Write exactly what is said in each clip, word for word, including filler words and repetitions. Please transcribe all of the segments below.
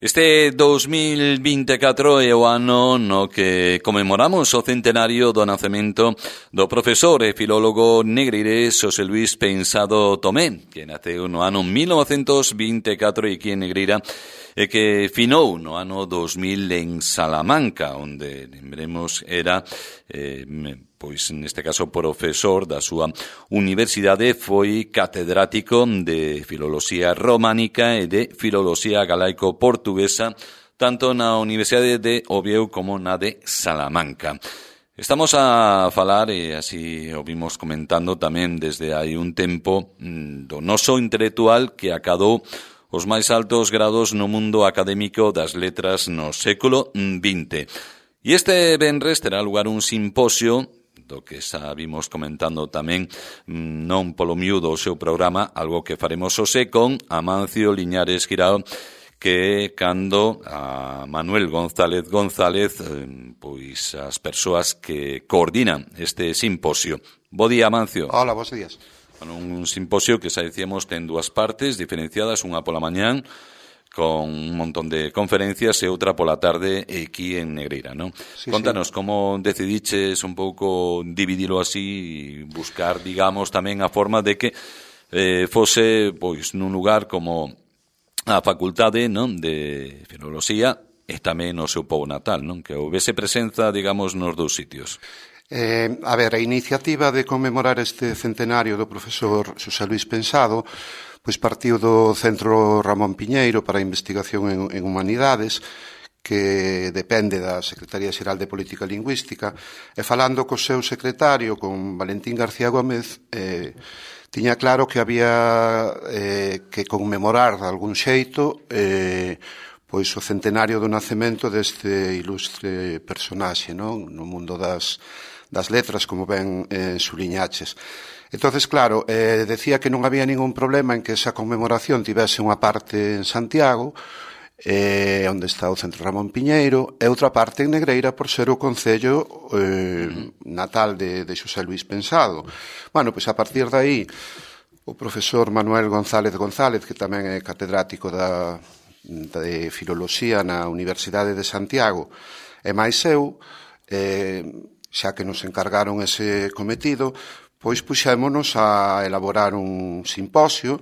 Este dos mil vinte e catro é o ano no que conmemoramos o centenario do nacemento do profesor e filólogo negreirés Xosé Luís Pensado Tomé, que naceu no ano mil novecentos vinte e catro e aquí en Negreira, e que finou no ano dos mil en Salamanca, onde, lembremos, era... Eh, pois neste caso profesor da súa universidade, foi catedrático de Filoloxía Románica e de Filoloxía Galaico-Portuguesa, tanto na Universidade de Oviedo como na de Salamanca. Estamos a falar, e así o vimos comentando tamén desde hai un tempo, do noso intelectual que acadou os máis altos grados no mundo académico das letras no século vinte. E este venres terá lugar un simposio do que xa vimos comentando tamén non polo miúdo o seu programa, algo que faremos hoxe con Amancio Liñares Guirao, que é cando a Manuel González González, pois as persoas que coordinan este simposio. Bo día, Amancio. Hola, bons días. Bueno, un simposio que xa dicíamos ten dúas partes diferenciadas, unha pola mañán, con un montón de conferencias e outra pola tarde aquí en Negreira, non? Sí, Contanos, sí. Como decidiches un pouco dividilo así e buscar, digamos, tamén a forma de que eh, fose, pois, nun lugar como a Facultade, non, de Filoloxía e tamén o seu pobo natal, non? Que houvese presenza, digamos, nos dous sitios. Eh, a ver, a iniciativa de conmemorar este centenario do profesor Xosé Luís Pensado pois partiu do Centro Ramón Piñeiro para a Investigación en, en Humanidades, que depende da Secretaría Xeral de Política Lingüística, e falando co seu secretario, con Valentín García Gómez, eh, tiña claro que había eh, que conmemorar de algún xeito eh, pois o centenario do nacemento deste ilustre personaxe, non? No mundo das, das letras, como ben eh, suliñaches. Entonces, claro, eh, decía que non había ningún problema en que esa conmemoración tivese unha parte en Santiago, eh, onde está o Centro Ramón Piñeiro, e outra parte en Negreira por ser o concello eh, natal de, de Xosé Luís Pensado. Bueno, pois a partir de aí, o profesor Manuel González González, que tamén é catedrático da, de Filoloxía na Universidade de Santiago, e máis eu, eh, xa que nos encargaron ese cometido, pois puxémonos a elaborar un simposio,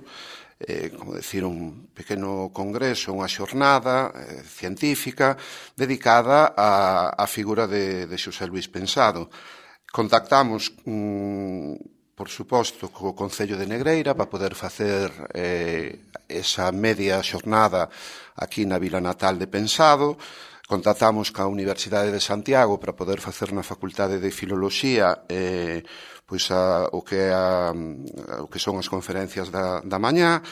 eh, como decir, un pequeno congreso, unha xornada eh, científica dedicada á, á figura de, de Xosé Luís Pensado. Contactamos, mm, por suposto, co Concello de Negreira para poder facer eh, esa media xornada aquí na vila natal de Pensado. Contactamos ca Universidade de Santiago para poder facer na Facultade de Filoloxía eh, pois a, o, que a, o que son as conferencias da, da mañá,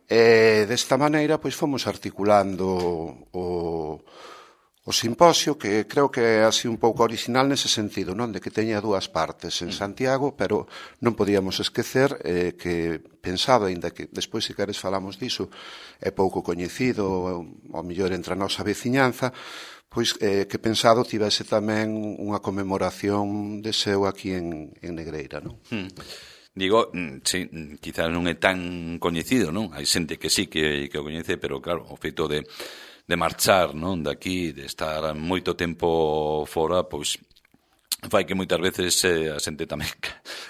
e desta maneira pois fomos articulando o, o simposio, que creo que é así un pouco original nese sentido, non? De que teña dúas partes en Santiago, pero non podíamos esquecer eh, que Pensado, aínda que despois se queres falamos diso, é pouco coñecido, ao mellor entre a nosa veciñanza, pois eh, que Pensado tivese tamén unha conmemoración de seu aquí en, en Negreira, non? Hmm. Digo, sí, quizás non é tan coñecido, non? Hai xente que sí que, que o coñece, pero claro, o feito de, de marchar, non? De aquí, de estar moito tempo fora, pois fai que moitas veces eh, a xente tamén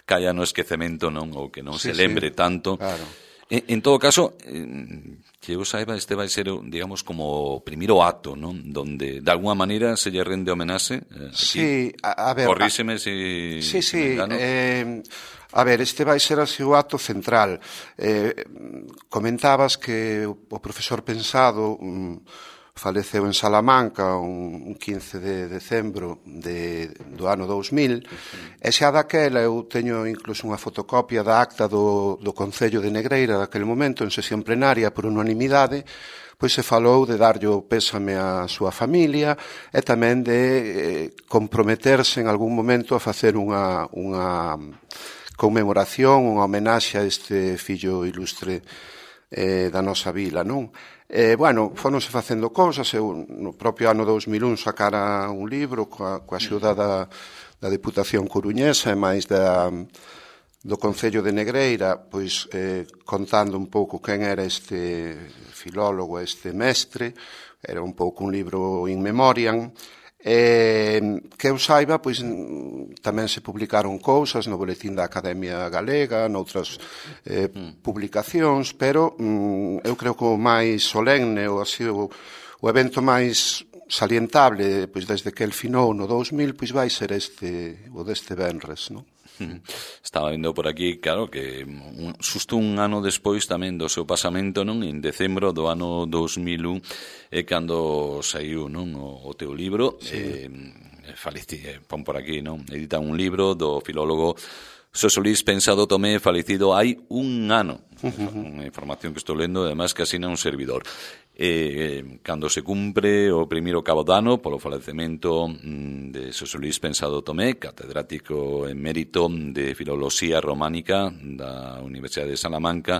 caia no esquecemento, non? Ou que non sí, se lembre sí, tanto. Claro. En, en todo caso, eh, que eu saiba, este vai ser, digamos, como o primeiro acto, non? Donde, de alguna maneira, se lle rende homenaxe. Eh, aquí. Sí, a, a ver... Corríxeme se... Sí, sí, eh, a ver, este vai ser así o acto central. Eh, comentabas que o profesor Pensado... Um, faleceu en Salamanca un quince de decembro de, do ano dous mil, e xa daquela eu teño incluso unha fotocopia da acta do, do Concello de Negreira daquele momento, en sesión plenaria por unanimidade, pois se falou de darlle o pésame á súa familia e tamén de eh, comprometerse en algún momento a facer unha, unha conmemoración, unha homenaxe a este fillo ilustre eh, da nosa vila, non? Eh, bueno, fonose facendo cousas, eu no propio ano dous mil un sacara un libro coa, coa axuda da, da Deputación Coruñesa e máis da, do Concello de Negreira, pois eh, contando un pouco quen era este filólogo, este mestre. Era un pouco un libro in memoriam. Eh, que eu saiba, pois tamén se publicaron cousas no Boletín da Academia Galega, noutras eh, mm. publicacións, pero mm, eu creo que o máis solemne, ou así, o, o evento máis salientable, pois desde que el finou no dous mil, pois vai ser este, o deste venres, non? Estaba vendo por aquí, claro, que un, xusto un ano despois tamén do seu pasamento, non, en decembro do ano dous mil un, é cando saiu, non, o, o teu libro. Sí. eh, Falici, eh, pon por aquí, non, edita un libro do filólogo Xosé Luís Pensado Tomé, falecido hai un ano. Unha información que estou lendo, además que asina un servidor. Eh, cando se cumpre o primeiro cabo dano polo falecemento mm, de Xosé Luís Pensado Tomé, catedrático emérito de Filoloxía Románica da Universidade de Salamanca,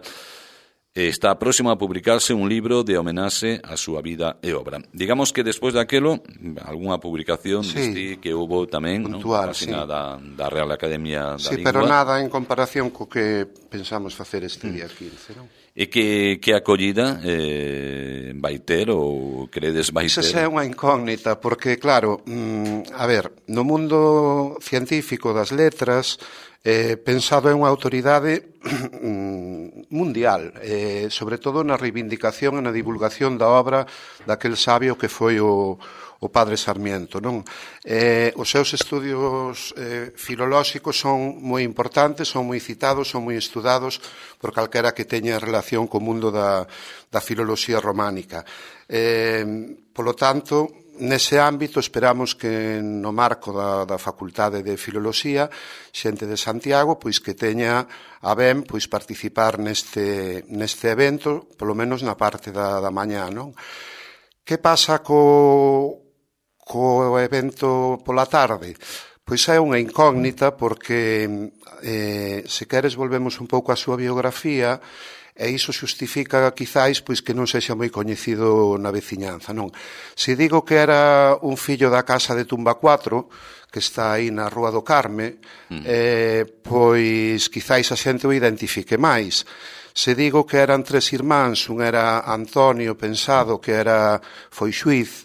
está próximo a publicarse un libro de homenaxe a súa vida e obra. Digamos que despois daquelo, algunha publicación sí, deste que houbo tamén, puntual, non? Sí. Da, da Real Academia da sí, Lingua. Pero nada en comparación co que pensamos facer este día quince, non? E que, que acollida eh, vai ter ou credes vai ter? Esa é unha incógnita, porque, claro, mm, a ver, no mundo científico das letras, eh, Pensado é unha autoridade mundial, eh, sobre todo na reivindicación e na divulgación da obra daquel sabio que foi o, o Padre Sarmiento, non? Eh, os seus estudios eh, filolóxicos son moi importantes, son moi citados, son moi estudados por calquera que teña relación co mundo da, da filoloxía románica. Eh, polo tanto, nese ámbito esperamos que no marco da, da Facultade de Filoloxía, xente de Santiago, pois que teña a ben pois participar neste, neste evento, polo menos na parte da, da mañá, non? Que pasa co, co evento pola tarde? Pois é unha incógnita porque, eh, se queres, volvemos un pouco á súa biografía, e iso xustifica, quizáis, pois que non sexa moi coñecido na veciñanza, non? Se digo que era un fillo da casa de Tumba cuatro, que está aí na Rúa do Carme, mm. eh, pois quizáis a xente o identifique máis. Se digo que eran tres irmáns, un era Antonio Pensado, que era foi xuiz,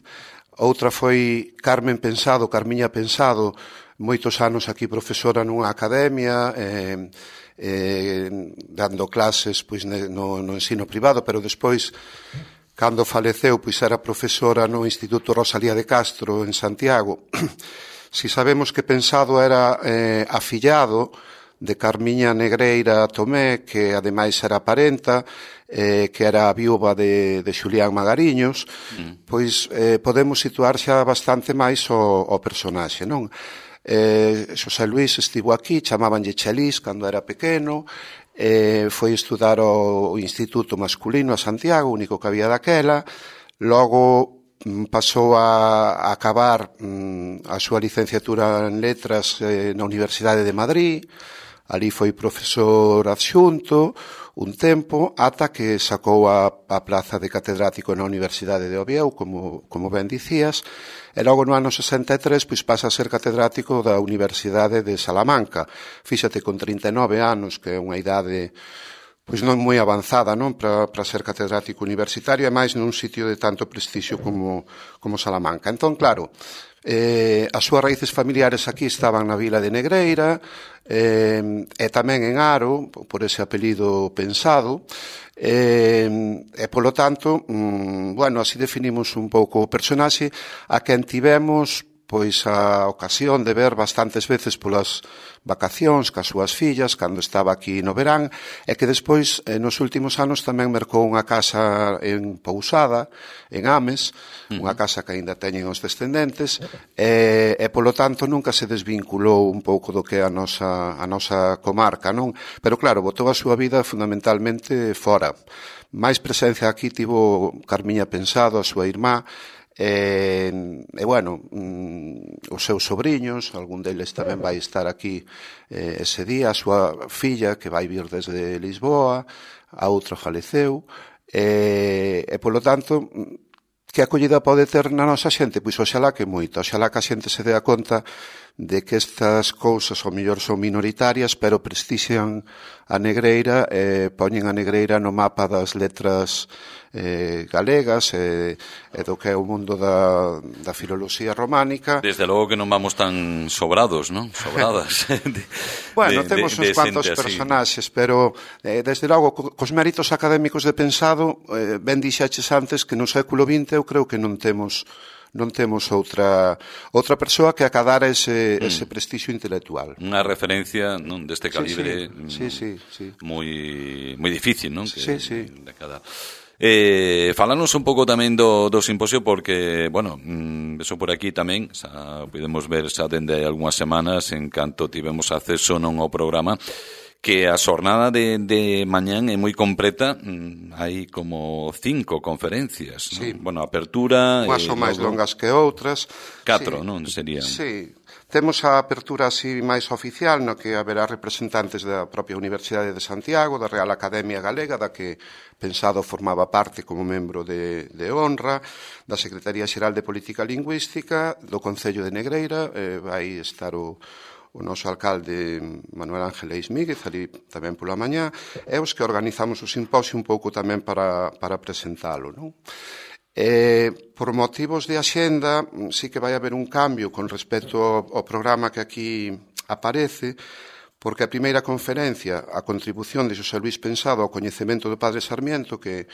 outra foi Carmen Pensado, Carmiña Pensado, moitos anos aquí profesora nunha academia, eh, eh, dando clases pois no, no ensino privado, pero despois, cando faleceu, pois era profesora no Instituto Rosalía de Castro en Santiago. Si sabemos que Pensado era eh, afillado de Carmiña Negreira Tomé, que ademais era parenta, eh, que era a viúva de, de Xulián Magariños, mm. pois eh, podemos situar xa bastante máis o, o personaxe, non? Eh, Xosé Luís estivo aquí, chamabanlle Chelís cando era pequeno, eh, foi estudar o, o Instituto Masculino a Santiago, o único que había daquela, logo mm, pasou a, a acabar mm, a súa licenciatura en Letras eh, na Universidade de Madrid, ali foi profesor adxunto un tempo, ata que sacou a, a plaza de catedrático na Universidade de Oviedo, como, como ben dicías, e logo no ano sesenta e tres pois pasa a ser catedrático da Universidade de Salamanca. Fíxate, con trinta e nove anos, que é unha idade pois non moi avanzada, non, para, para ser catedrático universitario, e máis nun sitio de tanto prestixio como, como Salamanca. Entón, claro, eh, as súas raíces familiares aquí estaban na vila de Negreira, eh, e tamén en Aro, por ese apelido Pensado, e, e polo tanto, mm, bueno, así definimos un pouco o personaxe, a quen tivemos pois a ocasión de ver bastantes veces polas vacacións cas súas fillas, cando estaba aquí no verán, e que despois, eh, nos últimos anos, tamén mercou unha casa en Pousada, en Ames, uh-huh. unha casa que aínda teñen os descendentes, e, e polo tanto nunca se desvinculou un pouco do que é a nosa, a nosa comarca, non? Pero claro, botou a súa vida fundamentalmente fora. máis presencia aquí tivo Carmiña Pensado, a súa irmá, e, e bueno, mm, os seus sobrinhos, algún deles tamén vai estar aquí eh, ese día, a súa filla que vai vir desde Lisboa, a outra faleceu, e, e polo tanto, que acollida pode ter na nosa xente? Pois oxalá que moito, oxalá que a xente se dea conta de que estas cousas ao mellor son minoritarias, pero prestixian a negreira e poñen a negreira no mapa das letras eh, galegas e, e do que é o mundo da, da filoloxía románica. Desde logo que non vamos tan sobrados, non? Sobradas. de, bueno, de, temos de, uns cuantos personaxes, pero eh, desde logo, cos méritos académicos de pensado, eh, ben dixaches antes que no século vinte eu creo que non temos non temos outra outra persoa que acadara ese, mm. ese prestixio intelectual. Unha referencia non deste calibre sí, sí, sí, sí. moi moi difícil, non? Que, sí, sí. De cada... Eh, falanos un pouco tamén do, do simposio porque, bueno, mm, eso por aquí tamén xa podemos ver xa dende algunhas semanas en canto tivemos acceso non ao programa que a xornada de, de mañán é moi completa, hai como cinco conferencias, sí. non? Bueno, apertura... Unhas son máis longas que outras. Catro, sí. non? Serían... Sí, temos a apertura así máis oficial, no que haberá representantes da propia Universidade de Santiago, da Real Academia Galega, da que Pensado formaba parte como membro de, de honra, da Secretaría Xeral de Política Lingüística, do Concello de Negreira, eh, vai estar o... o noso alcalde Manuel Ángel Eismíguez, ali tamén pola mañá, e os que organizamos o simposio un pouco tamén para, para presentalo, non? Eh, por motivos de axenda, sí que vai haber un cambio con respecto ao, ao programa que aquí aparece, porque a primeira conferencia, a contribución de Xosé Luís Pensado ao coñecemento do Padre Sarmiento, que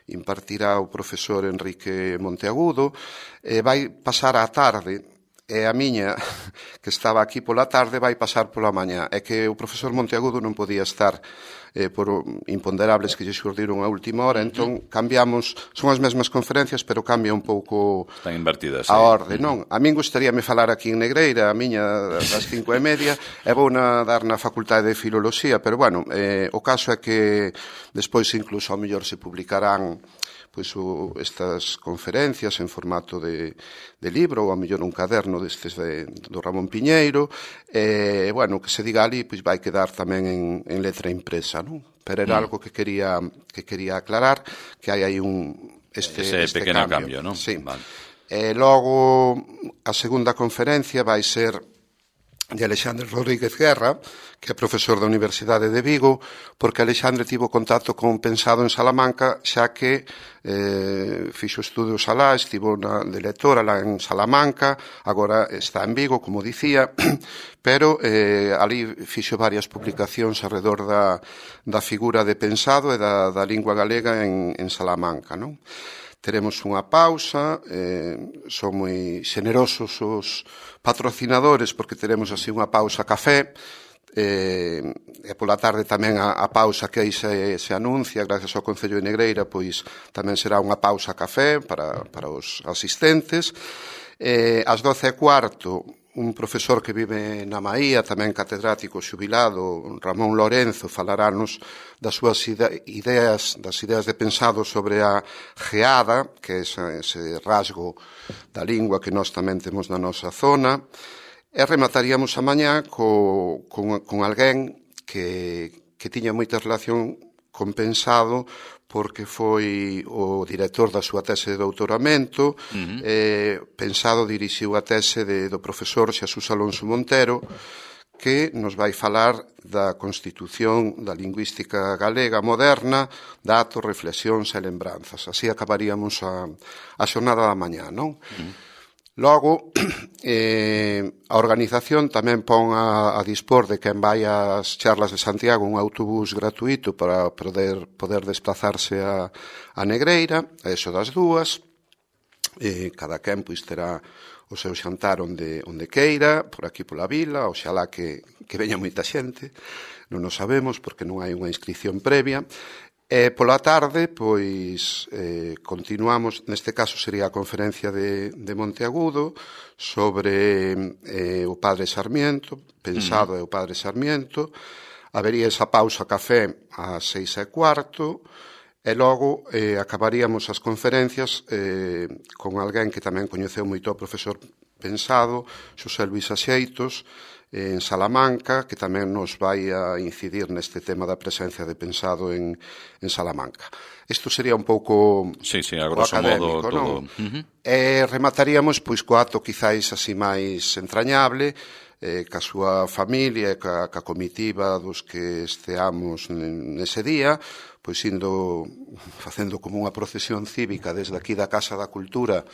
impartirá o profesor Enrique Monteagudo, eh, vai pasar á tarde, e a miña, que estaba aquí pola tarde, vai pasar pola mañá. É que o profesor Monteagudo non podía estar eh, por imponderables que lle xurdiron a última hora, entón cambiamos, son as mesmas conferencias, pero cambia un pouco Están invertidas, a orde, non? A min gustaríame falar aquí en Negreira, a miña das cinco e media, e vou na, dar na Facultade de Filoloxía, pero bueno, eh, o caso é que despois incluso ao mellor se publicarán pois o, estas conferencias en formato de, de libro ou a mellor un caderno destes de, do Ramón Piñeiro e, bueno, que se diga ali pois vai quedar tamén en, en letra impresa, non? Pero era mm. algo que quería que quería aclarar, que hai aí un este, ese este pequeno cambio, cambio, non? Sí. Vale. E logo a segunda conferencia vai ser de Alexandre Rodríguez Guerra, que é profesor da Universidade de Vigo, porque Alexandre tivo contacto con Pensado en Salamanca, xa que eh, fixo estudos alá, estivo na, de lectora lá en Salamanca, agora está en Vigo, como dicía, pero eh, ali fixo varias publicacións alrededor da, da figura de Pensado e da, da lingua galega en, en Salamanca, non? Teremos unha pausa, eh, son moi xenerosos os patrocinadores porque teremos así unha pausa café, eh, e pola tarde tamén a, a pausa que aí se, se anuncia gracias ao Concello de Negreira, pois tamén será unha pausa café para, para os asistentes. Eh, ás doce e cuarto, un profesor que vive na Maía, tamén catedrático xubilado, Ramón Lorenzo, falarános das súas ideas, das ideas de Pensado sobre a geada, que é ese, ese rasgo da lingua que nós tamén temos na nosa zona, e remataríamos a mañá co, con, con alguén que, que tiña moita relación con Pensado, porque foi o director da súa tese de doutoramento, uh-huh. eh, Pensado dirixiu a tese de, do profesor Xesús Alonso Montero, que nos vai falar da constitución da lingüística galega moderna, datos, reflexións e lembranzas. Así acabaríamos a, a xornada da mañá, non? Uh-huh. Logo, eh, a organización tamén pon a, a dispor de quen vai ás charlas de Santiago un autobús gratuito para poder, poder desplazarse a, a Negreira, a eso das dúas, eh, cada quen pois terá o seu xantar onde, onde queira, por aquí pola vila, oxalá que, que veña moita xente, non o sabemos porque non hai unha inscripción previa. E pola tarde, pois, eh, continuamos, neste caso sería a conferencia de, de Monteagudo sobre eh, o Padre Sarmiento, Pensado uh-huh. é o Padre Sarmiento, habería esa pausa café ás seis e cuarto, e logo eh, acabaríamos as conferencias eh, con alguén que tamén coñeceu moito o profesor Pensado, Xosé Luís Axeitos, en Salamanca, que tamén nos vai a incidir neste tema da presencia de Pensado en, en Salamanca. Isto sería un pouco sí, sí, a grosso académico, modo, non? Uh-huh. E remataríamos pois co acto quizáis así máis entrañable, eh, ca súa familia e ca, ca comitiva dos que esteamos nese día, pois indo facendo como unha procesión cívica desde aquí da Casa da Cultura,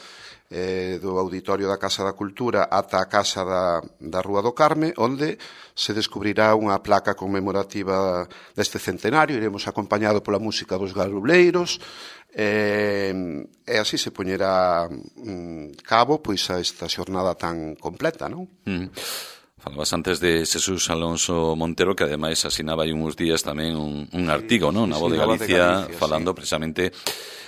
eh, do Auditorio da Casa da Cultura ata a Casa da, da Rúa do Carme, onde se descubrirá unha placa conmemorativa deste centenario. Iremos acompañado pola música dos garuleiros, e, e así se poñerá mm, cabo pois a esta xornada tan completa, non? Mm. Falabas antes de Xesús Alonso Montero, que ademais asinaba hai uns días tamén un, un artigo, non? Na Voz de Galicia, de Galicia falando sí. precisamente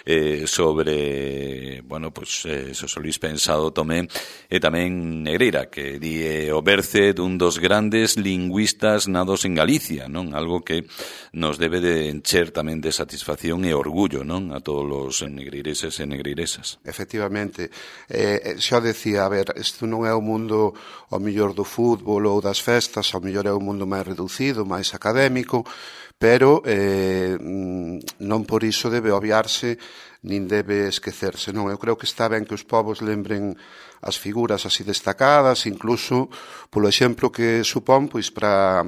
eh, sobre, bueno, pues, eh, Xosé Luís Pensado Tomé e tamén Negreira, que di eh, o berce dun dos grandes lingüistas nados en Galicia, non? Algo que nos debe de encher tamén de satisfacción e orgullo, non? A todos os negreireses e negreiresas. Efectivamente. Eh, xa decía, a ver, isto non é o mundo ao mellor do fútbol ou das festas, ao mellor é un mundo máis reducido, máis académico, pero eh, non por iso debe obviarse nin debe esquecerse, non? Eu creo que está ben que os povos lembren as figuras así destacadas, incluso polo exemplo que supón pois para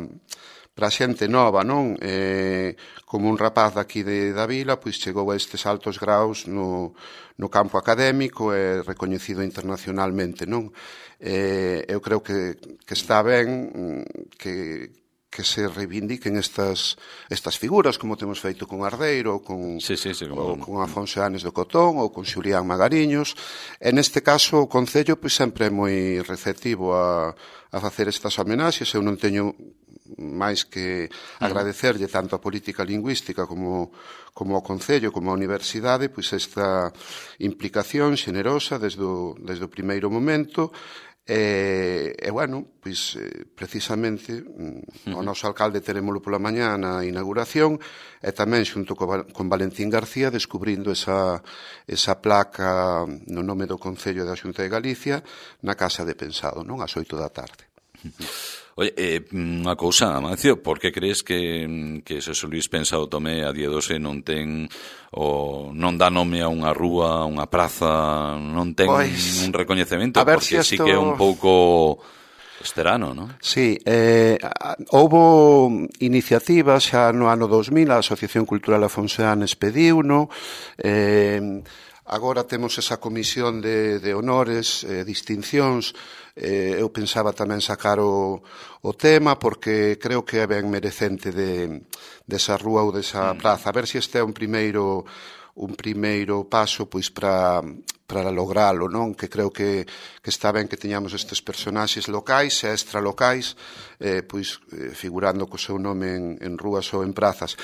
para a xente nova, non? Eh, como un rapaz daqui de da vila, pois chegou a estes altos graus no, no campo académico e recoñecido internacionalmente, non? Eh, eu creo que, que está ben que que se reivindiquen estas estas figuras, como temos feito con Ardeiro, ou con, sí, sí, sí, como... ou con Afonso Anes do Cotón, ou con Xulián Magariños. En este caso, o Concello pois, sempre é moi receptivo a, a facer estas homenaxes. Eu non teño máis que agradecerlle tanto a política lingüística como, como ao Concello, como á Universidade, pois esta implicación xenerosa desde o, desde o primeiro momento. E, e bueno, pois precisamente o noso alcalde terémolo pola mañá na inauguración e tamén xunto con Valentín García descubrindo esa, esa placa no nome do Concello da Xunta de Galicia na Casa de Pensado, non? Ás oito da tarde. Oye, eh, unha cousa, Amancio, por que crees que, que Xosé Luís Pensado Tomé a día doce non ten o non dá nome a unha rúa, a unha praza, non ten pois, un recoñecemento? Porque si esto... que é un pouco esterano, non? Sí, eh, houbo iniciativas xa no ano dos mil, a Asociación Cultural Afonso Anes pediuno, eh, agora temos esa comisión de, de honores, eh, distincións. Eh, eu pensaba tamén sacar o, o tema porque creo que é ben merecente de, desa rúa ou desa praza. A ver se este é un primeiro un primeiro paso pois para para logralo, non? Que creo que, que está ben que teñamos estes personaxes locais e extralocais eh, pois eh, figurando co seu nome en, en rúas ou en prazas.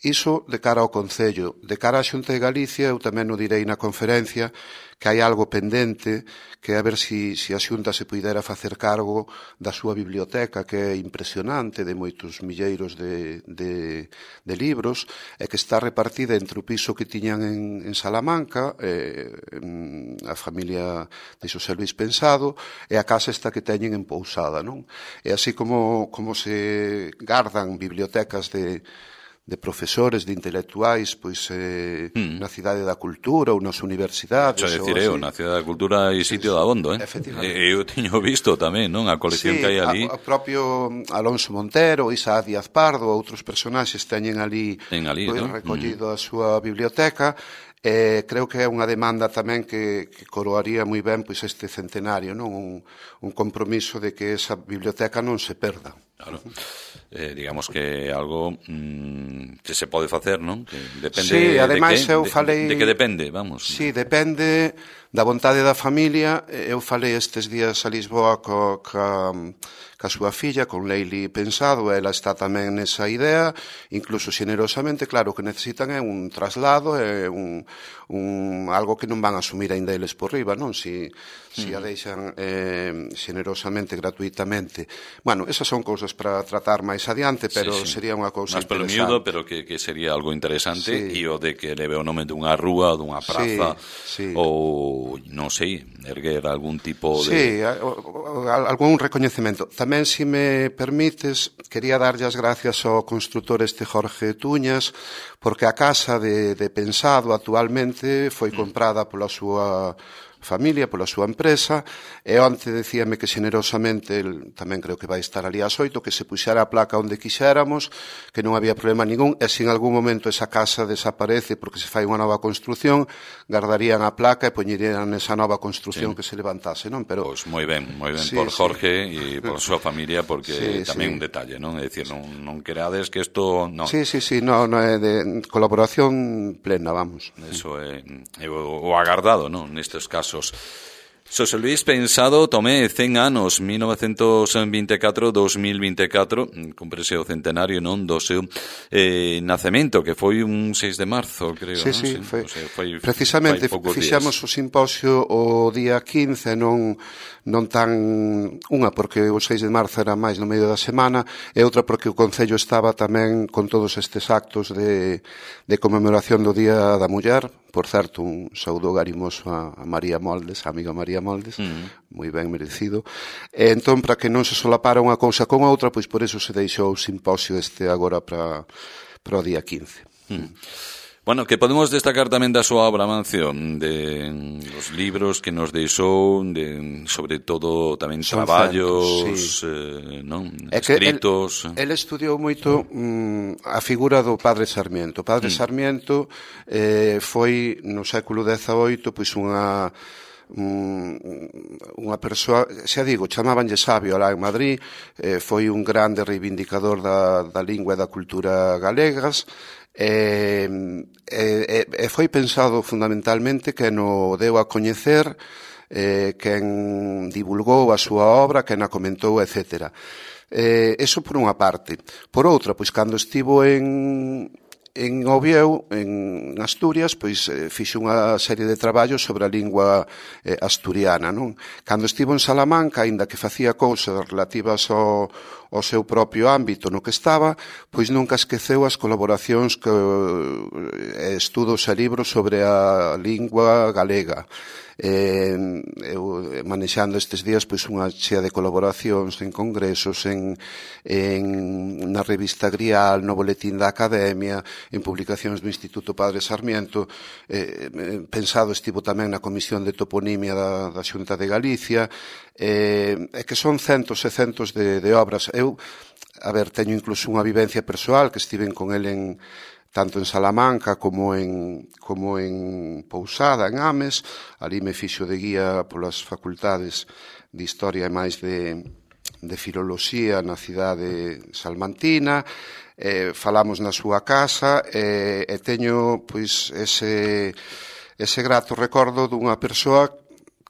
Iso de cara ao Concello. De cara á Xunta de Galicia, eu tamén o direi na conferencia, que hai algo pendente, que a ver si, si a Xunta se puidera facer cargo da súa biblioteca, que é impresionante, de moitos milleiros de, de, de libros, e que está repartida entre o piso que tiñan en, en Salamanca, eh, en a familia de Xosé Luís Pensado, e a casa esta que teñen en Pousada, non? E así como, como se gardan bibliotecas de de profesores, de intelectuais, pois eh, mm. na Cidade da Cultura ou nas universidades. Xa decir, eu, na Cidade da Cultura hai sitio de abondo, eh? E eu teño visto tamén, non? A colección sí, que hai ali. O propio Alonso Montero, Isaac Díaz Pardo, outros personaxes teñen ali, ali pois, ¿no? recollido mm. a súa biblioteca. Eh, creo que é unha demanda tamén que, que coroaría moi ben pois este centenario, non? Un, un compromiso de que esa biblioteca non se perda. Claro. Eh, digamos que é algo mmm, que se pode facer, non? Que depende sí, ademais de, que, eu falei... de, de que depende, vamos. Sí, depende da vontade da familia. Eu falei estes días a Lisboa co, ca, ca súa filla, con Leili Pensado, ela está tamén nesa idea, incluso xenerosamente, claro, que necesitan é un traslado, é un, un, algo que non van a asumir ainda eles por riba, non? Si, si a deixan eh, xenerosamente, gratuitamente. Bueno, esas son cousas para tratar máis adiante, pero sí, sí. sería unha cousa más interesante. Más pelo miúdo, pero que, que sería algo interesante, e sí. o de que leve o nome dunha rúa, dunha praza, sí, sí. ou, non sei, erguer algún tipo de... Sí, algún recoñecemento. Tamén, se me permites, quería darlle as gracias ao construtor este Jorge Tuñas, porque a casa de, de Pensado actualmente foi comprada pola súa familia, pola súa empresa, e onte decíame que xenerosamente, el, tamén creo que vai estar ali ás oito, que se puxera a placa onde quixéramos, que non había problema ningún, e se en algún momento esa casa desaparece porque se fai unha nova construción, guardarían a placa e poñerían esa nova construción sí. que se levantase, non? Pero pois pues moi ben, moi ben sí, por Jorge e sí. por súa familia, porque sí, tamén sí. un detalle, non? É dicir, non, non querades que isto... Non. Sí, sí, sí, non, no é de colaboración plena, vamos. Eso é, é o, o agardado, non? Nestes casos. Xosé Luis Pensado Tomé, cen anos, mil novecentos veinticuatro a dos mil veinticuatro, cúmprese o centenario, non, do seu eh, nacemento, que foi un seis de marzo, creo, sí, non? Sí, sí, foi, o sea, foi precisamente fixamos o simposio o día quince, non non tan unha porque o seis de marzo era máis no medio da semana e outra porque o Concello estaba tamén con todos estes actos de, de conmemoración do Día da Muller. Por certo, un saúdo garimoso a, a María Moldes, a amiga María Moldes, mm. moi ben merecido. E entón, para que non se solapara unha cousa con outra, pois por eso se deixou o simposio este agora para, para o día quince. Mm. Bueno, que podemos destacar tamén da súa obra, Mancio, de os libros que nos deixou, de, sobre todo tamén Son traballos, centos, sí. eh, non? escritos... El, el estudiou moito mm, a figura do Padre Sarmiento. O Padre mm. Sarmiento eh, foi no século dezaoito pois unha... unha persoa, xa digo, chamabanlle sabio alá en Madrid, eh, foi un grande reivindicador da, da lingua e da cultura galegas, e, e, e foi pensado fundamentalmente que no deu a coñecer, eh, quen divulgou a súa obra, quen a comentou, etcétera. Eh, eso por unha parte. Por outra, pois cando estivo en... En Oviedo, en Asturias, pois eh, fixo unha serie de traballos sobre a lingua eh, asturiana, non? Cando estivo en Salamanca, aínda que facía cousas relativas ao, ao seu propio ámbito no que estaba, pois nunca esqueceu as colaboracións que eh, estudos e libros sobre a lingua galega. Eh, eu manexando estes días pois unha chea de colaboracións en congresos, en, en na revista Grial, no boletín da Academia, en publicacións do Instituto Padre Sarmiento, eh, pensado estivo tamén na Comisión de Toponimia da, da Xunta de Galicia, eh, e que son centos e centos de, de obras. Eu, a ver, teño incluso unha vivencia persoal que estiven con el en tanto en Salamanca como en, como en Pousada, en Ames. Ali me fixo de guía polas facultades de Historia e máis de, de Filoloxía na cidade salmantina. Eh, falamos na súa casa e, e teño pois ese, ese grato recordo dunha persoa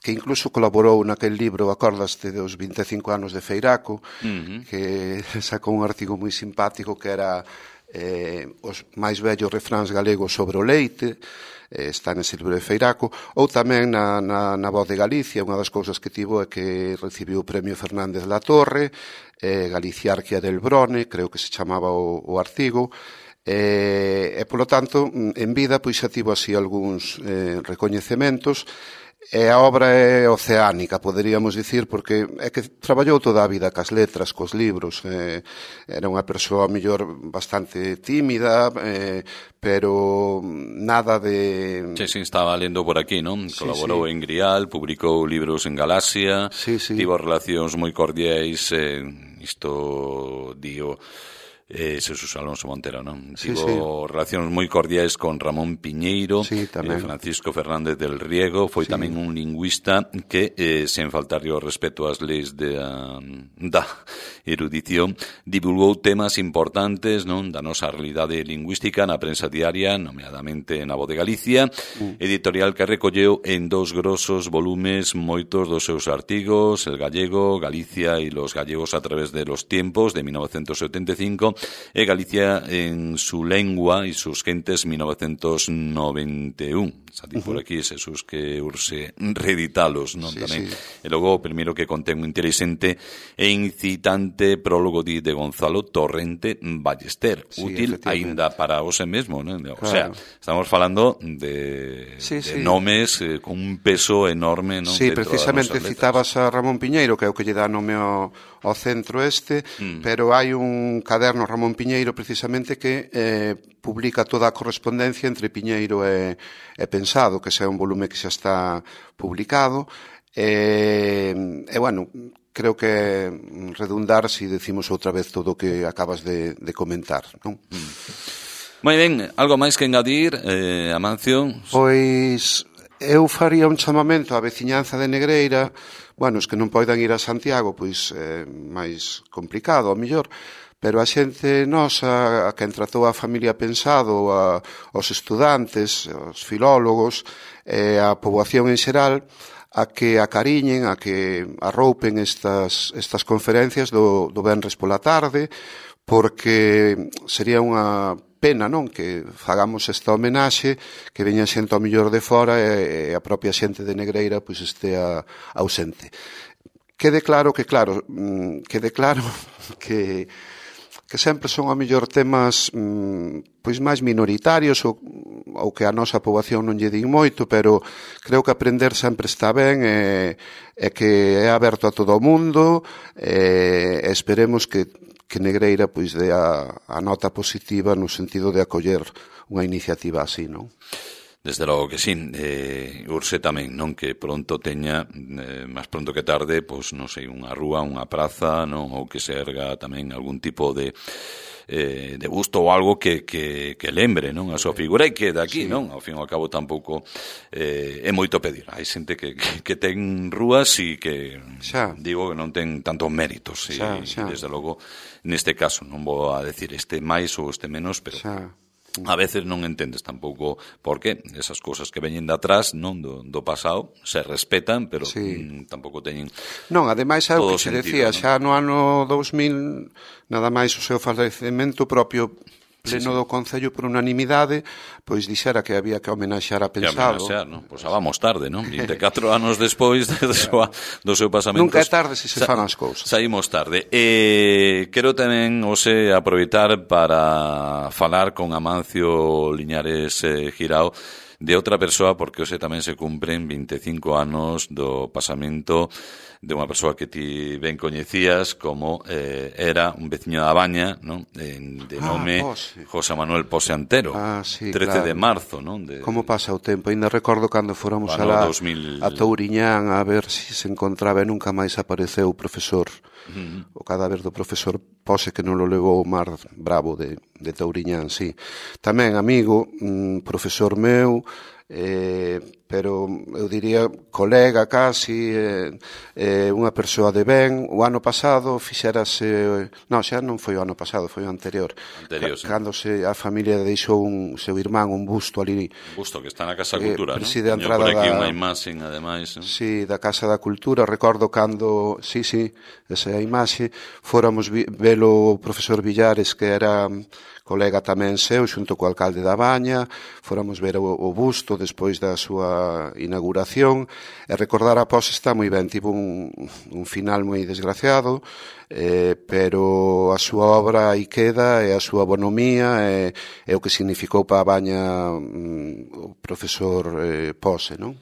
que incluso colaborou naquel libro, acordaste, dos vinte e cinco anos de Feiraco, uh-huh. que sacou un artigo moi simpático que era eh, os máis vellos refráns galegos sobre o leite, eh, está nese libro de Feiraco, ou tamén na, na, na Voz de Galicia. Unha das cousas que tivo é que recibiu o premio Fernández La Torre, eh, Galiciarquia del Brone, creo que se chamaba o, o artigo, e, e polo tanto, en vida, pois xa tivo así algúns eh, recoñecementos. E a obra é oceánica, poderíamos dicir, porque é que traballou toda a vida cas letras, cos libros. Eh, era unha persoa, mellor, bastante tímida, eh, pero nada de... Sí, sí, estaba lendo por aquí, non? Sí, Colaborou sí. en Grial, publicou libros en Galaxia, sí, sí. tivo relacións moi cordiais, eh, isto, digo... Eh, Jesús Alonso Montero, non? Sí, Tivo sí. relacións moi cordiais con Ramón Piñeiro, sí, eh, Francisco Fernández del Riego, foi sí. tamén un lingüista que, eh, sen faltar o respeto ás leis de, uh, da erudición, divulgou temas importantes, non, da nosa realidade lingüística na prensa diaria, nomeadamente na Voz de Galicia, mm. editorial que recolleu en dos grosos volumes moitos dos seus artigos, El gallego, Galicia e los gallegos a través de los tiempos, de mil novecientos setenta e cinco, e Galicia en su lengua e sus gentes, mil novecientos noventa e un. Sati uh-huh. por aquí, Jesús, que urse reeditalos, non? Sí, Tamén. Sí. E logo, o primeiro que contén un interesante e incitante prólogo de, de Gonzalo Torrente Ballester, sí, útil aínda para hoxe mesmo, non? O claro. sea, estamos falando de, sí, de sí. nomes eh, con un peso enorme, non? Sí, precisamente citabas a Ramón Piñeiro, que é o que lle dá nome ao, ao centro este, mm. pero hai un caderno Ramón Piñeiro precisamente que eh, publica toda a correspondencia entre Piñeiro e, e Pensado, que xa é un volume que xa está publicado. E, e bueno, creo que redundar si decimos outra vez todo o que acabas de, de comentar, non? Mm. Moi ben, algo máis que engadir, eh, Amancio? Pois eu faría un chamamento á veciñanza de Negreira. Bueno, os que non poidan ir a Santiago, pois é máis complicado, ao mellor, pero a xente nosa, a quen tratou a familia Pensado, a, os estudantes, os filólogos, e a poboación en xeral, a que acariñen, a que arroupen estas, estas conferencias do, do venres pola tarde, porque sería unha pena, non, que fagamos esta homenaxe, que veña xente ao mellor de fora e, e a propia xente de Negreira pois estea ausente. Quede claro que, claro, quede claro que que sempre son ao mellor temas pois máis minoritarios ou, ou que a nosa poboación non lle din moito, pero creo que aprender sempre está ben e, e que é aberto a todo o mundo e, e esperemos que, que Negreira pois dé a, a nota positiva no sentido de acoller unha iniciativa así, non? Desde logo que sí, eh, urse tamén, non, que pronto teña, eh, máis pronto que tarde, pois non sei, unha rúa, unha praza, non, ou que se erga tamén algún tipo de eh, de busto ou algo que, que, que lembre, non, a súa figura e que daqui, sí. Non, ao fin e ao cabo tampouco eh, é moito pedir. Hai xente que, que, que ten rúas e que, xa. digo, que non ten tantos méritos e, xa, xa. e desde logo, neste caso, non vou a decir este máis ou este menos, pero... Xa. A veces non entendes tampouco por qué esas cousas que veñen de atrás, non, do, do pasado, se respetan, pero sí. mm, tampouco teñen non, ademais é o que se decía, non? Xa no ano dous mil, nada máis o seu falecemento propio pleno sí, sí. do Concello por unanimidade, pois dixera que había que homenaxear a Pensado. Que homenaxear, non? Pois xa vamos tarde, non? vinte e catro anos despois do seu, do seu pasamento. Nunca é tarde se se fan as cousas. Saímos tarde. E quero tamén, ose, aproveitar para falar con Amancio Liñares eh, Girao de outra persoa, porque hoxe tamén se cumpren vinte e cinco anos do pasamento de unha persoa que ti ben coñecías como eh, era un veciño da Baña, non? De, de nome ah, José Manuel Pose Antero, ah, sí, trece claro. de marzo, non? De, como pasa o tempo, ainda recordo cando fóramos alá dos mil... a Touriñán a ver se si se encontraba e nunca máis apareceu o profesor, uh-huh. o cadáver do profesor Pose, que non lo levou o mar bravo de, de Touriñán, sí. Tamén amigo, mm, profesor meu, eh, pero eu diría colega casi, eh, eh, unha persoa de ben. O ano pasado fixerase, non, xa non foi o ano pasado, foi o anterior, anterior C- sí. cando se, a familia deixou un seu irmán un busto ali, un busto que está na Casa da Cultura, eh, preside non? A entrada por aquí da, unha imaxe, ademais, non? Sí, da Casa da Cultura. Recordo cando, sí, sí, esa é a imaxe, fóramos vi, velo o profesor Villares, que era colega tamén seu, xunto co alcalde da Baña, fóramos ver o, o busto despois da súa inauguración, e recordar a Pose está moi ben, tivo un, un final moi desgraciado, eh, pero a súa obra aí queda, e a súa bonomía, e, e o que significou para a Baña mm, o profesor eh, Pose, non?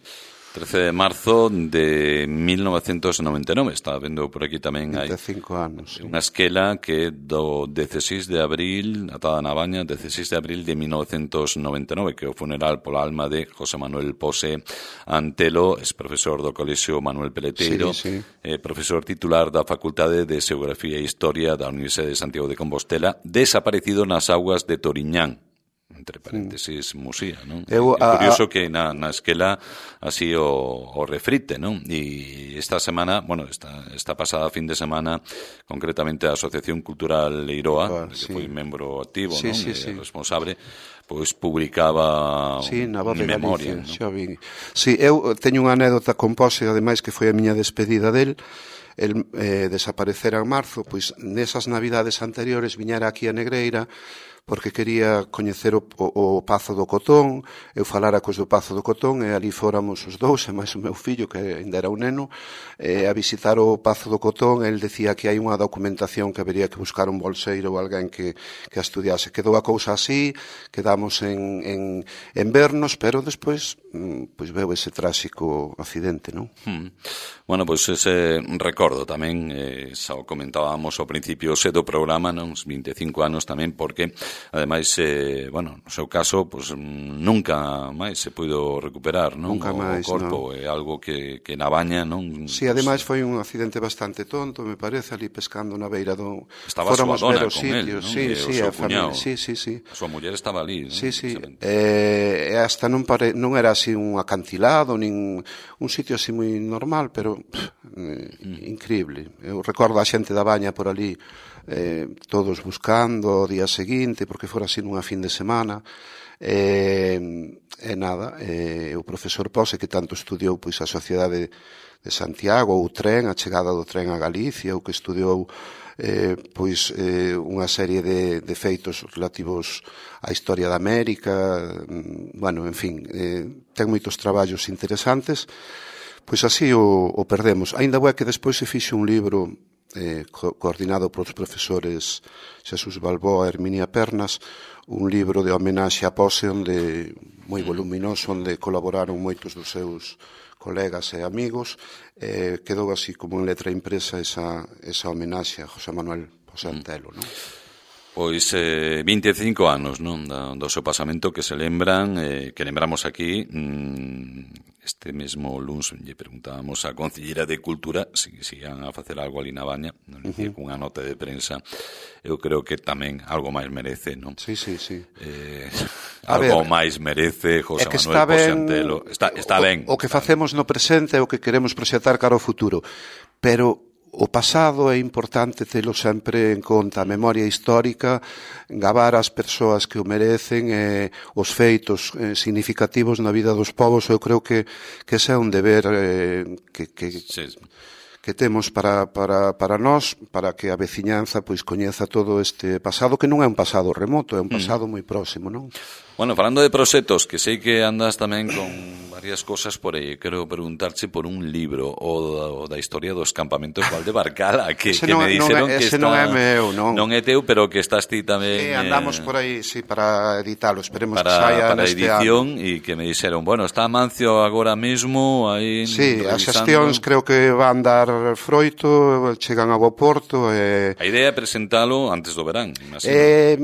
trece de marzo de mil novecentos noventa e nove, estaba vendo por aquí tamén hai vinte e cinco anos, sí. Unha esquela que do dezasseis de abril, atada na Baña, dezasseis de abril de mil novecentos noventa e nove, que é o funeral pola alma de José Manuel Pose Antelo, es profesor do Colexio Manuel Peleteiro, sí, sí. Eh, profesor titular da Facultade de Xeografía e Historia da Universidade de Santiago de Compostela, desaparecido nas augas de Toriñán, entre paréntesis, Musía, non? Eu, é curioso a, a... que na, na esquela así o, o refrite, non? E esta semana, bueno, esta, esta pasada fin de semana, concretamente a Asociación Cultural Leiroa, claro, que sí. foi membro activo, sí, non? Sí, e sí. responsable, pois publicaba sí, na voz mi de memoria, Galicia, non? Vi. Sí, eu teño unha anécdota con Pose, ademais que foi a miña despedida del. El eh, desaparecera en marzo, pois nesas navidades anteriores viñera aquí a Negreira, porque quería coñecer o, o, o Pazo do Cotón. Eu falara cos do Pazo do Cotón e ali fóramos os dous, e máis o meu fillo, que ainda era un neno, eh, a visitar o Pazo do Cotón. El decía que hai unha documentación que habería que buscar un bolseiro ou alguén que, que a estudiase. Quedou a cousa así, quedamos en, en, en vernos, pero despois pois veo ese tráxico accidente, non? Hmm. Bueno, pois ese recordo recordo tamén, eh, xa o comentábamos ao principio xe do programa, non, uns vinte e cinco anos tamén, porque, ademais, eh, bueno, no seu caso, pues, nunca máis se puido recuperar, non? Nunca o, máis, o corpo non. é algo que, que na baña, non? Si, sí, ademais foi un accidente bastante tonto, me parece, ali pescando na beira do... Estaba a súa dona con sitios. él, non? Sí, E sí, o seu a familia, cuñado. sí, sí, sí. A súa muller estaba ali, non? Sí, sí, e eh, hasta non, pare... non era así un acantilado, nin un sitio así moi normal, pero pff, mm. increíble. Eu recordo a xente da baña por ali, eh, todos buscando o día seguinte, porque fora así nunha fin de semana, e, e nada, e, o profesor Pose, que tanto estudiou pois a sociedade de Santiago, o tren, a chegada do tren a Galicia, o que estudiou eh, pois eh, unha serie de, de feitos relativos á historia da América, bueno, en fin, eh, ten moitos traballos interesantes, pois así o, o perdemos. Ainda é que despois se fixe un libro eh, co coordinado polos profesores Xesús Balboa e Herminia Pernas, un libro de homenaxe a Pose, onde moi voluminoso, onde colaboraron moitos dos seus colegas e amigos, eh, quedou así como en letra impresa esa, esa homenaxe a José Manuel Pose Antelo, non? Pois eh, vinte e cinco anos, non, do, do seu pasamento que se lembran, eh, que lembramos aquí, mmm, este mesmo luns lle preguntábamos a Concelleira de Cultura se si, si iban a facer algo ali na baña, non dicía, uh -huh. cunha nota de prensa. Eu creo que tamén algo máis merece, non? Sí, sí, sí. Eh, algo ver, máis merece José Manuel Pose Antelo. Está, está o, ben. O que facemos no presente é o que queremos proxectar cara ao futuro, pero o pasado é importante telo sempre en conta, a memoria histórica, gabar as persoas que o merecen, e os feitos eh, significativos na vida dos povos. Eu creo que, que ese é un deber eh, que, que, sí. que temos para, para, para nós, para que a veciñanza pois coñeza todo este pasado, que non é un pasado remoto, é un pasado mm. moi próximo, non? Bueno, falando de proxectos, que sei que andas tamén con varias cosas por aí, quero preguntarche por un libro o da, o da historia dos campamentos Valdebarcala, que, que non, me dixeron non, que está... non é meu, non. Non é teu, pero que estás ti tamén... Sí, andamos eh, por aí, sí, para editalo, esperemos para, que saia para neste edición, ano. E que me dixeron, bueno, está Mancio agora mesmo aí... Sí, revisando. As xestións creo que van dar froito, chegan a bo porto. E... A idea é presentalo antes do verán, imagino. Eh,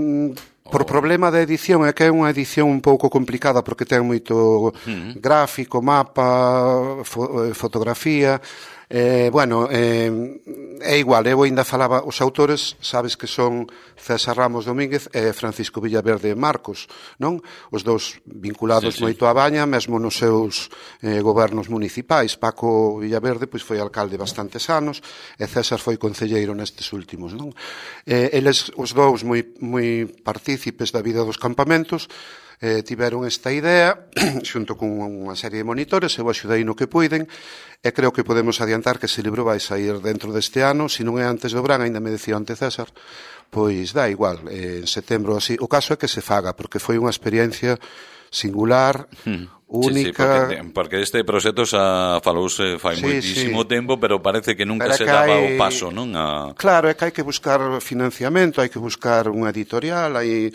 Por problema da edición, é que é unha edición un pouco complicada, porque ten moito uh-huh. gráfico, mapa, fo, fotografía. Eh, bueno, eh, é igual, eu ainda falaba, os autores, sabes que son César Ramos Domínguez e Francisco Villaverde Marcos, non? Os dous vinculados sí, sí. moito á baña, mesmo nos seus eh, gobernos municipais. Paco Villaverde pois foi alcalde bastantes anos e César foi concelleiro nestes últimos, non? Eh, eles, os dous, moi, moi partícipes da vida dos campamentos, eh, tiveron esta idea xunto con unha serie de monitores. Eu axudei no que puiden e creo que podemos adiantar que ese libro vai sair dentro deste ano. Se non é antes do verán, ainda me decía ante César, pois dá igual, eh, en setembro así. O caso é que se faga, porque foi unha experiencia singular, hmm. única. Sí, sí, porque, porque este proxecto xa falouse fai sí, moitísimo sí. tempo, pero parece que nunca pero se que daba hai... o paso, non? A... Claro, é que hai que buscar financiamento, hai que buscar unha editorial, hai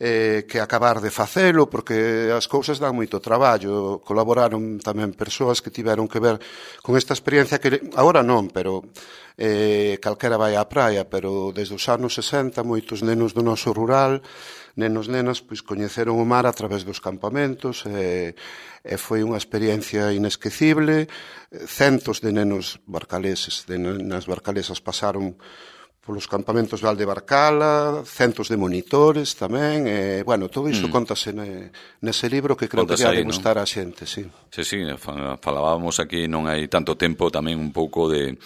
eh, que acabar de facelo, porque as cousas dan moito traballo. Colaboraron tamén persoas que tiveron que ver con esta experiencia, que agora non, pero eh, calquera vai á praia, pero desde os anos sesenta moitos nenos do noso rural, nenos, nenas, pois coñeceron o mar a través dos campamentos, e, e foi unha experiencia inesquecible. Centos de nenos barcaleses, de nenas barcalesas pasaron polos campamentos de Valdebarcala, centos de monitores tamén, e, bueno, todo iso mm. contase ne, nese libro, que creo Contas que vai gustar a xente, sí. Sí, sí, falábamos aquí non hai tanto tempo tamén un pouco de...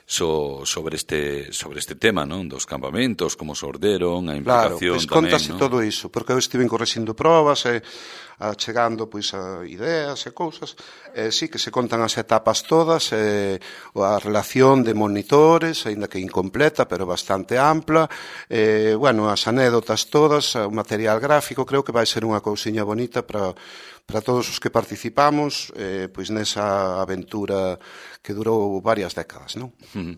So, sobre este sobre este tema, non? Dos campamentos, como se orderon, a implicación claro, pois tamén, contase non? todo iso, porque eu estive correxindo probas e a, chegando pois a ideas e cousas, e sí que se contan as etapas todas, e a relación de monitores, aínda que incompleta, pero bastante ampla, e, bueno, as anécdotas todas, o material gráfico. Creo que vai ser unha cousiña bonita para para todos os que participamos, eh, pois nesa aventura que durou varias décadas, non? Uh-huh.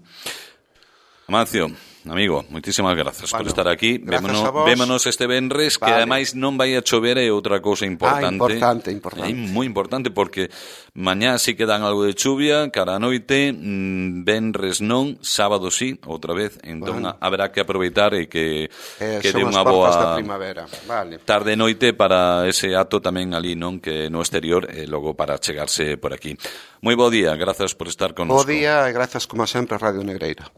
Amancio, amigo, moitísimas grazas bueno, por estar aquí. Vémonos, vémonos este venres, vale. Que ademais non vai a chover, é outra cousa importante. Ah, importante, importante. É moi importante porque mañá sí que dan algo de chuvia, cara a noite, mmm, venres non, sábado sí, outra vez. Entón bueno. haberá que aproveitar e que eh, que dé unha boa vale. tarde e noite para ese acto tamén ali, non, que no exterior e logo para chegarse por aquí. Moi bo día, grazas por estar con nós. Bo día e grazas como sempre a Radio Negreira.